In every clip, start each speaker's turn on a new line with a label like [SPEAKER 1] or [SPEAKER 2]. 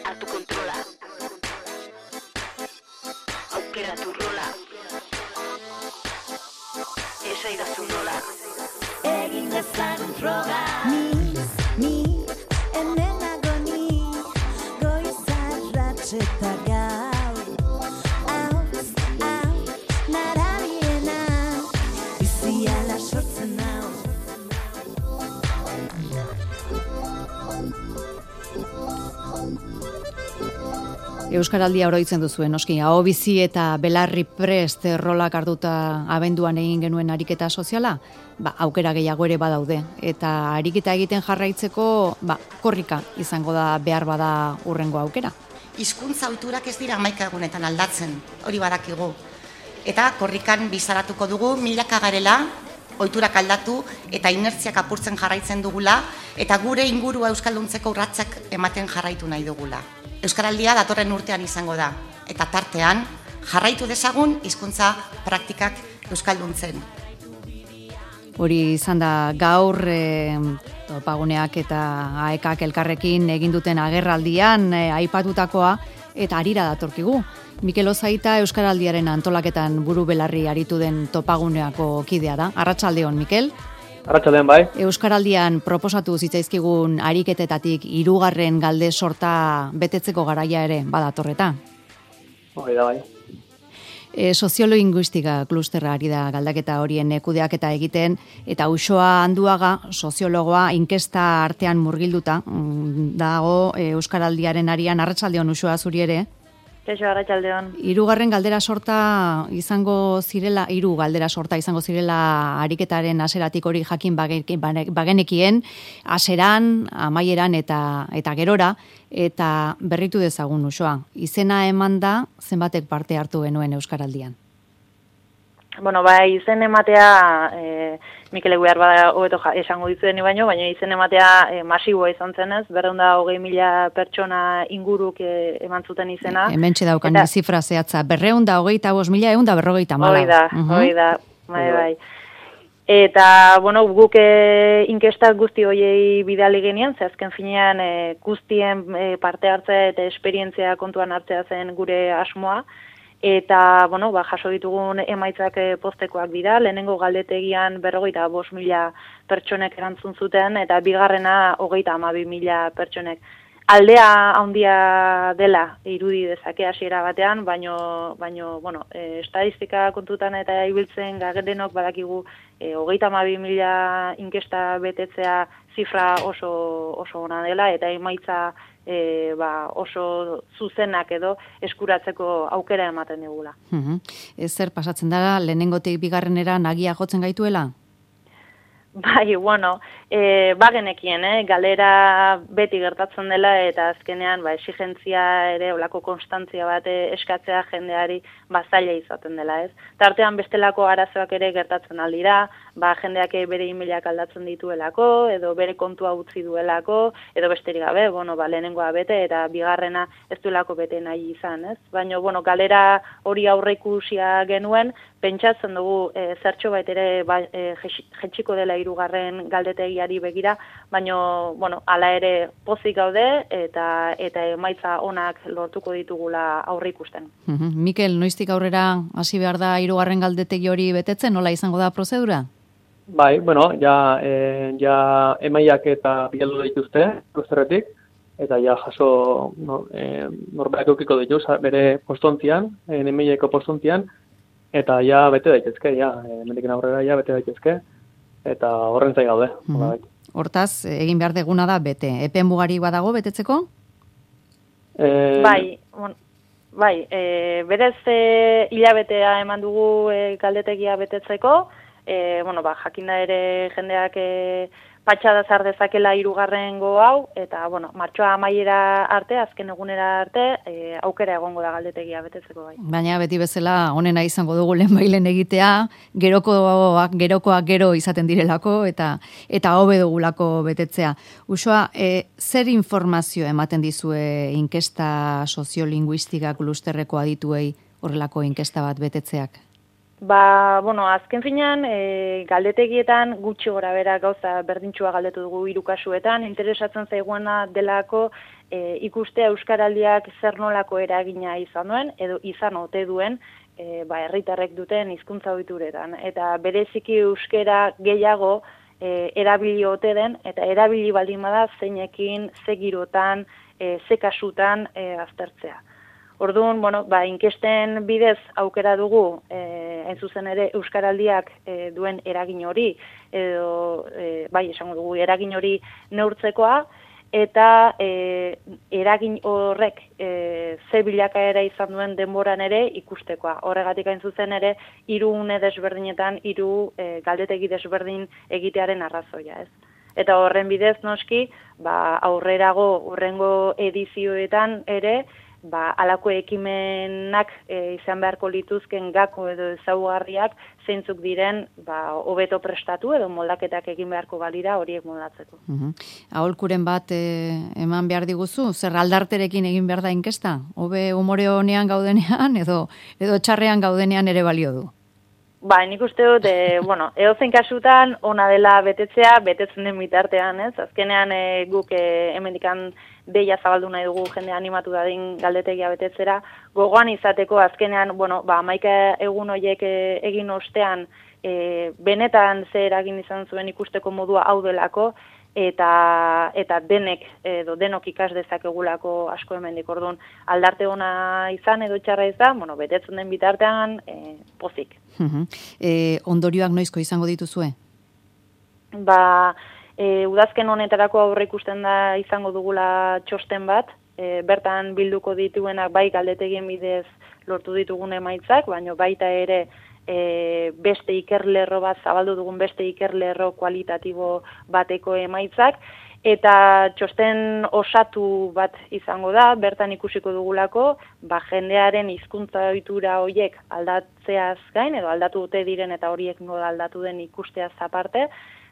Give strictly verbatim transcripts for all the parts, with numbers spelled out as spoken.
[SPEAKER 1] Hartu kontrola. Aukeratu rola. Esaidazu nola.
[SPEAKER 2] Egin dezagun froga. Ni, ni, hemen nago ni, goizarratx eta gau. Hauz, hau, narabiena, biziala sortzen hau.
[SPEAKER 3] Euskaraldia oroitzen duzuen, noski, aho bizi eta belarri prest rolak hartuta abenduan egin genuen ariketa soziala, ba, aukera gehiago ere badaude. Eta ariketa egiten jarraitzeko, ba, korrika izango da behar bada urrengo aukera.
[SPEAKER 4] Hizkuntza ohiturak ez dira hamaika egunetan aldatzen, hori badakigu. Eta korrikan bizaratuko dugu milaka garela, ohiturak aldatu eta inertziak apurtzen jarraitzen dugula, eta gure ingurua euskalduntzeko urratsak ematen jarraitu nahi dugula. Euskaraldia datorren urtean izango da, eta tartean jarraitu dezagun hizkuntza praktikak euskalduntzen.
[SPEAKER 3] Hori izan da gaur e, topaguneak eta aekak elkarrekin egin duten agerraldian e, aipatutakoa eta harira datorkigu. Mikel Ozaita Euskaraldiaren antolaketan buru belarri aritu den topaguneako kidea da. Arratsaldeon, Mikel.
[SPEAKER 5] Arratsaldean bai.
[SPEAKER 3] Euskaraldian proposatu zitzaizkigun ariketetatik hirugarren galde sorta betetzeko garaia ere badatorreta.
[SPEAKER 5] Hori da bai.
[SPEAKER 3] E, Soziolinguistika klusterra ari da galdaketa horien kudeaketa egiten, eta Uxoa Anduaga soziologoa inkesta artean murgilduta dago Euskaraldiaren arian. Arratsaldeon, Uxoa, zuri ere.
[SPEAKER 6] Kaixo, arratsaldeon.
[SPEAKER 3] Hirugarren galdera sorta izango zirela, hiru galdera sorta izango zirela ariketaren haseratik hori jakin bagenekien, haseran, amaieran eta eta gerora, eta berritu dezagun, Uxoa. Izena eman da zenbatek parte hartu genuen Euskaraldian?
[SPEAKER 6] Bueno, bai, izen ematea, e, Mikel Eguiar bada hobeto esango dizueni baino, baina izen ematea e, masiboa izan zenez, berrehun eta hogei mila pertsona inguruk e, eman zuten izena.
[SPEAKER 3] E, hementxe daukan eta, zifra zehatza, berrehun eta hogeita bost mila, ehun eta berrogeita hamala.
[SPEAKER 6] Hoi da, uh-huh. hoi da, bai, bai. Eta, bueno, guk e, inkestak guzti hoiei bidali genian, ze azken finean e, guztien e, parte hartzea eta esperientzia kontuan hartzea zen gure asmoa. Eta, bueno, ba, jaso ditugun emaitzak postekoak dira, lehenengo galdetegian berrogeita bost mila pertsonek erantzun zuten, eta bigarrena hogeita hamabi mila pertsonek. Aldea handia dela irudi dezake hasiera batean, baino, baino bueno, e, estadistika kontutan eta ibiltzen garenok badakigu e, hogeita hamabi mila inkesta betetzea zifra oso, oso ona dela, eta emaitza E, ba, oso zuzenak edo eskuratzeko aukera ematen digula.
[SPEAKER 3] Uh-huh. Ez zer pasatzen dara, lehenengotik bigarrenera nagia jotzen gaituela?
[SPEAKER 6] Bai, bueno, e, bagenekien, eh? Galera beti gertatzen dela, eta azkenean ba, exigentzia ere, olako konstantzia bat eskatzea jendeari bazaila izaten dela, ez? Tartean bestelako arazoak ere gertatzen aldira, ba, jendeak bere emailak aldatzen dituelako, edo bere kontua utzi duelako, edo besterik gabe, bueno, ba, lehenengoa bete, eta bigarrena ez duelako bete nahi izan, ez? Baina, bueno, galera hori aurreikusia genuen, pentsatzen dugu e, zertxo bait ere ba, e, jetxiko dela hirugarren galdetegiari begira, baina, bueno, hala ere pozik gaude, eta eta emaitza onak lortuko ditugula aurreikusten.
[SPEAKER 3] Uh-huh. Mikel, noiztik aurrera hasi behar da hirugarren galdetegi hori betetzen, nola izango da prozedura?
[SPEAKER 5] Bai, bueno, ja, e, ja emaiak eta bialdu dituzte, klusterretik, eta ja jaso no, e, norberak eukiko ditu bere postontzian, e, emaieko postontzian, eta ja bete daitezke, ja, e, mendiken aurrera ja bete daitezke, eta horren zai gaude.
[SPEAKER 3] Mm-hmm. Hortaz, egin behar deguna da bete. Epe mugari badago betetzeko?
[SPEAKER 6] E... Bai, bon, bai, e, berez e, hilabetea eman dugu e, galdetegia betetzeko, E, bueno, ba, jakinda ere jendeak e, patxada zar dezakela hirugarrengo hau, eta, bueno, martxoa amaiera arte, azken egunera arte, e, aukera egongo da galdetegia betetzeko bai.
[SPEAKER 3] Baina beti bezala onena izango dugu lehenbailen egitea, gerokoak, gerokoak gero izaten direlako, eta eta hobe dugulako betetzea. Uxoa, e, zer informazio ematen dizue inkesta soziolinguistika klusterreko adituei horrelako inkesta bat betetzeak?
[SPEAKER 6] Ba, bueno, azken finean, e, galdetegietan gutxi gora bera gauza berdintxua galdetu dugu hiru kasuetan, interesatzen zaiguena delako e, ikustea euskaraldiak zer nolako eragina izan duen, edo izan ote duen, e, ba, herritarrek duten hizkuntza ohituretan. Eta bereziki euskera gehiago e, erabili ote den, eta erabili baldin bada zeinekin, ze girotan, e, ze kasutan e, aztertzea. Orduan, bueno, ba, inkesten bidez aukera dugu, eh, hain zuzen ere, euskaraldiak eh, duen eragin hori, edo, eh, bai, esango dugu, eragin hori neurtzekoa, eta eh, eragin horrek eh, ze bilakaera izan duen denboran ere ikustekoa. Horregatik hain zuzen ere, hiru une desberdinetan, hiru eh, galdetegi desberdin egitearen arrazoia, ez? Eta horren bidez, noski, ba, aurrerago, hurrengo edizioetan ere, ba, alako ekimenak e, izan beharko lituzken gako edo ezaugarriak zeintzuk diren ba, hobeto prestatu edo moldaketak egin beharko balira horiek moldatzeko.
[SPEAKER 3] Uh-huh. Aholkuren bat e, eman behar diguzu, zer aldarterekin egin behar da inkesta? Hobe umore honean gaudenean edo, edo txarrean gaudenean ere balio du?
[SPEAKER 6] Ba, nik uste dut, e, bueno, edozein kasutan ona dela betetzea, betetzen den bitartean, ez? Azkenean e, guk e, hemendikan deia zabaldu nahi dugu jende animatu dadin galdetegia betetzera, gogoan izateko azkenean, bueno, ba, hamaika egun horiek e, egin ostean, e, benetan ze eragin izan zuen ikusteko modua hau delako, eta eta denek edo denok ikas dezakegulako asko hemendik. Orduan aldarte ona izan edo txarra izan, bueno, betetzen den bitartean e, pozik.
[SPEAKER 3] Uh-huh. E, ondorioak noizko izango dituzue?
[SPEAKER 6] Ba, e, udazken honetarako aurre ikusten da izango dugula txosten bat, e, bertan bilduko dituenak bai galdetegien bidez lortu ditugun emaitzak, baina baita ere E, beste ikerlerro bat, zabaldu dugun beste ikerlerro kualitatibo bateko emaitzak, eta txosten osatu bat izango da, bertan ikusiko dugulako, ba, jendearen hizkuntza ohitura horiek aldatzeaz gain, edo aldatu dute diren eta horiek nola aldatu den ikusteaz aparte,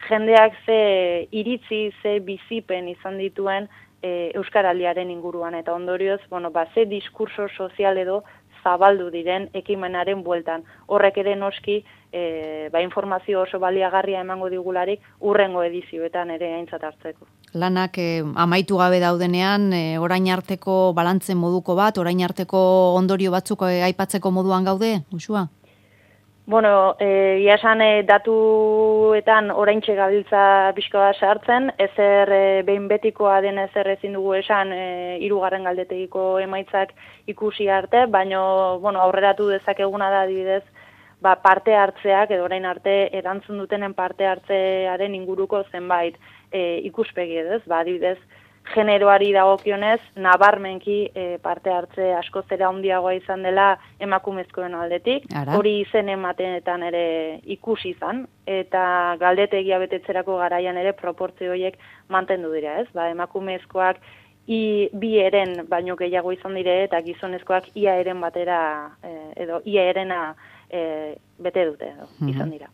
[SPEAKER 6] jendeak ze iritzi, ze bizipen izan dituen e, euskaraldiaren inguruan, eta ondorioz, bueno, ba, ze diskurso sozial edo zabaldu diren ekimenaren bueltan. Horrek ere noski e, ba, informazio oso baliagarria emango digularik urrengo edizioetan ere aintzat hartzeko.
[SPEAKER 3] Lanak e, amaitu gabe daudenean, e, orain arteko balantzen moduko bat, orain arteko ondorio batzuk e, aipatzeko moduan gaude, Uxua?
[SPEAKER 6] Bueno, e, ia esan e, datuetan oraintxe gabiltza pixkoa sartzen, ezer e, behin betikoa den ezer ezin dugu esan e, hirugarren galdetegiko emaitzak ikusi arte, baino bueno, aurreratu dezakeguna da adibidez, ba, parte hartzeak edo orain arte erantzun dutenen parte hartzearen inguruko zenbait e, ikuspegi ez, ba, adibidez, generoari dagokionez, nabarmenki e, parte hartze asko zera handiagoa izan dela emakumezkoen aldetik. Ara. Hori izen ematenetan ere ikusi izan, eta galdetegia betetzerako garaian ere proportzio horiek mantendu dira, ez? Ba, emakumezkoak i, bi eren baino gehiago izan dire, eta gizonezkoak ia eren batera, e, edo ia erena e, bete dute, edo, izan dira.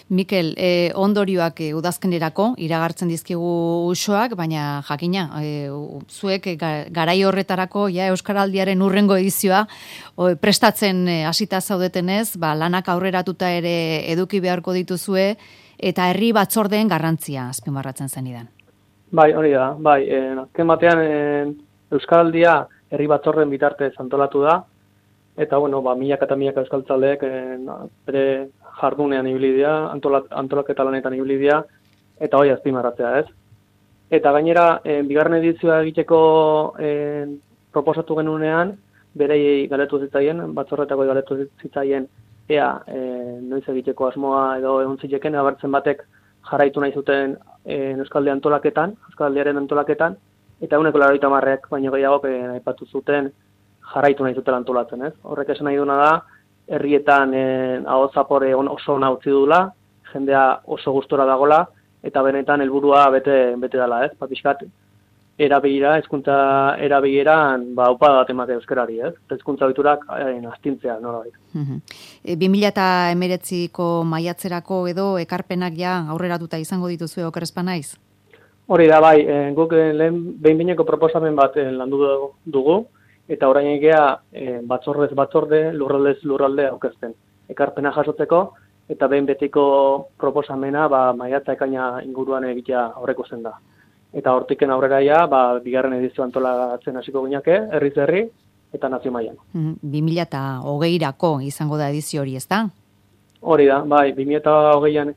[SPEAKER 3] Mikel, eh, ondorioak eh, udazkenerako iragartzen dizkigu usoak, baina jakina, eh, zuek eh, garai horretarako ja euskaraldiaren urrengo edizioa o, prestatzen eh, hasita zaudetenez, ba, lanak aurreratuta ere eduki beharko dituzue eta herri batzordeen garrantzia azpimarratzen zenidan.
[SPEAKER 5] Bai, hori da, bai, eh, azken batean eh, euskaraldia herri batzorden bitartez antolatu da, eta bueno, ba, milaka eta milaka euskaltzaleek eh, bere jardunean ibili dira, antolak, antolaketa lanetan ibili dira, eta hori azpimarratzea, ez? Eta gainera, eh, bigarren edizioa egiteko eh, proposatu genunean, berei galetu zitzaien, batzorretako galetu zitzaien, ea eh, noiz egiteko asmoa edo egon zitekeen, abertzen batek jarraitu nahi zuten eh, euskalde antolaketan, euskaldearen antolaketan, eta eguneko laurogeita hamarrek baino gehiago eh, aipatu zuten jarraitu nahi zutela antolatzen, ez? Horrek esan nahi duna da, herrietan eh, aho zapore oso ona utzi dula, jendea oso gustora dagola, eta benetan helburua bete bete dela, ez? Ba, pixkat erabilera, hezkuntza erabileran, ba, upa bat emate euskarari, ez? Hezkuntza ohiturak eh, astintzea, nolabait.
[SPEAKER 3] Uh-huh. E, bi mila hemeretziko maiatzerako edo ekarpenak ja aurreratuta izango dituzue oker ez banaiz?
[SPEAKER 5] Hori da, bai, eh, guk eh, lehen behin-behineko proposamen bat eh, landu dugu, eta orain egea e, batzordez batzorde, lurraldez lurralde aukezten. ekarpena jasotzeko, eta behin betiko proposamena ba, maiatza ekaina inguruan egitea aurreikusten da. Eta hortiken aurreraia, ba, bigarren edizio antolatzen hasiko gineke, herriz herri, eta nazio mailan.
[SPEAKER 3] bi mila hogeirako izango da edizio hori, ez da?
[SPEAKER 5] Hori da, bai, bi mila hogeian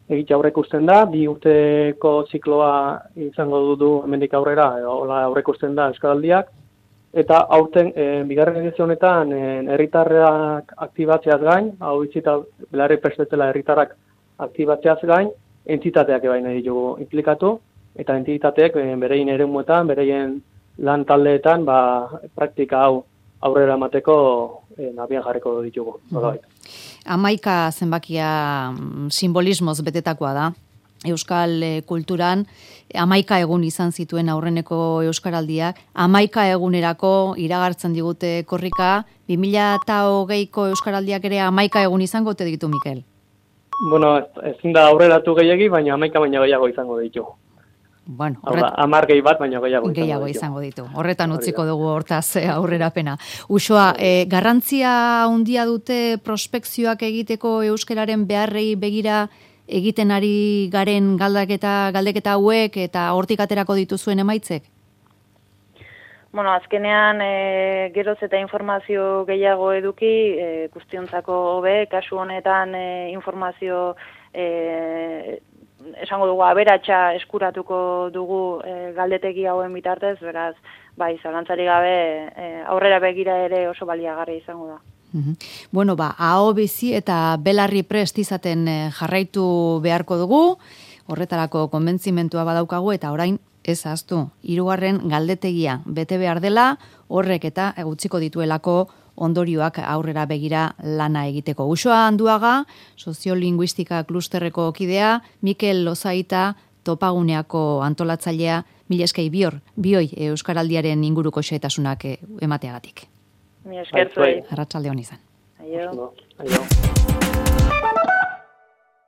[SPEAKER 5] egitea aurreikusten da, bi urteko zikloa izango dudu hemendik aurrera, hola aurreikusten da Euskaraldiak, eta aurten, e, bigarren edizio honetan, herritarrak aktibatzeaz gain, hau bizita belarri prestetzela herritarrak aktibatzeaz gain, entitateak ebain nahi ditugu implikatu, eta entitateek e, bereien eremuetan, bereien lan taldeetan, ba, praktika hau aurrera emateko e, nabian jarriko ditugu. Mm-hmm.
[SPEAKER 3] Hamaika zenbakia simbolismoz betetakoa da. Euskal kulturan hamaika egun izan zituen aurreneko Euskaraldiak, hamaika egunerako iragartzen digute korrika, bi mila hogeiko Euskaraldiak ere hamaika egun izango te ditu, Mikel?
[SPEAKER 5] Bueno, ezin da aurreratu gehiagi, baina hamaika baina gehiago izango ditu.
[SPEAKER 3] Bueno,
[SPEAKER 5] horret... hamar gehi bat, baina gehiago izango,
[SPEAKER 3] gehiago izango ditu. Horretan utziko dugu hortaz aurrerapena. Uxoa, eh, garrantzia handia dute prospekzioak egiteko euskararen beharrei begira egiten ari garen galdeketa, galdeketa hauek eta hortik aterako dituzuen emaitzek?
[SPEAKER 6] Bueno, azkenean e, geroz eta informazio gehiago eduki, e, guztiontzako hobe, kasu honetan e, informazio e, esango dugu aberatsa eskuratuko dugu e, galdetegi hauen bitartez, beraz, bai, zalantzari gabe e, aurrera begira ere oso baliagarria izango da.
[SPEAKER 3] Uhum. Bueno, ba, aho bizi eta belarri prest izaten jarraitu beharko dugu, horretarako konbentzimentua badaukagu eta orain ez ahaztu, hirugarren galdetegia bete behar dela, horrek eta egutziko dituelako ondorioak aurrera begira lana egiteko. Uxoa Anduaga, soziolinguistika klusterreko kidea, Mikel Lozaita, topaguneako antolatzailea, mila eskei bior, bioi Euskaraldiaren inguruko xehetasunak emateagatik.
[SPEAKER 6] Mi esker zuei.
[SPEAKER 3] Arratsalde on izan.
[SPEAKER 6] Aio.
[SPEAKER 5] Aio.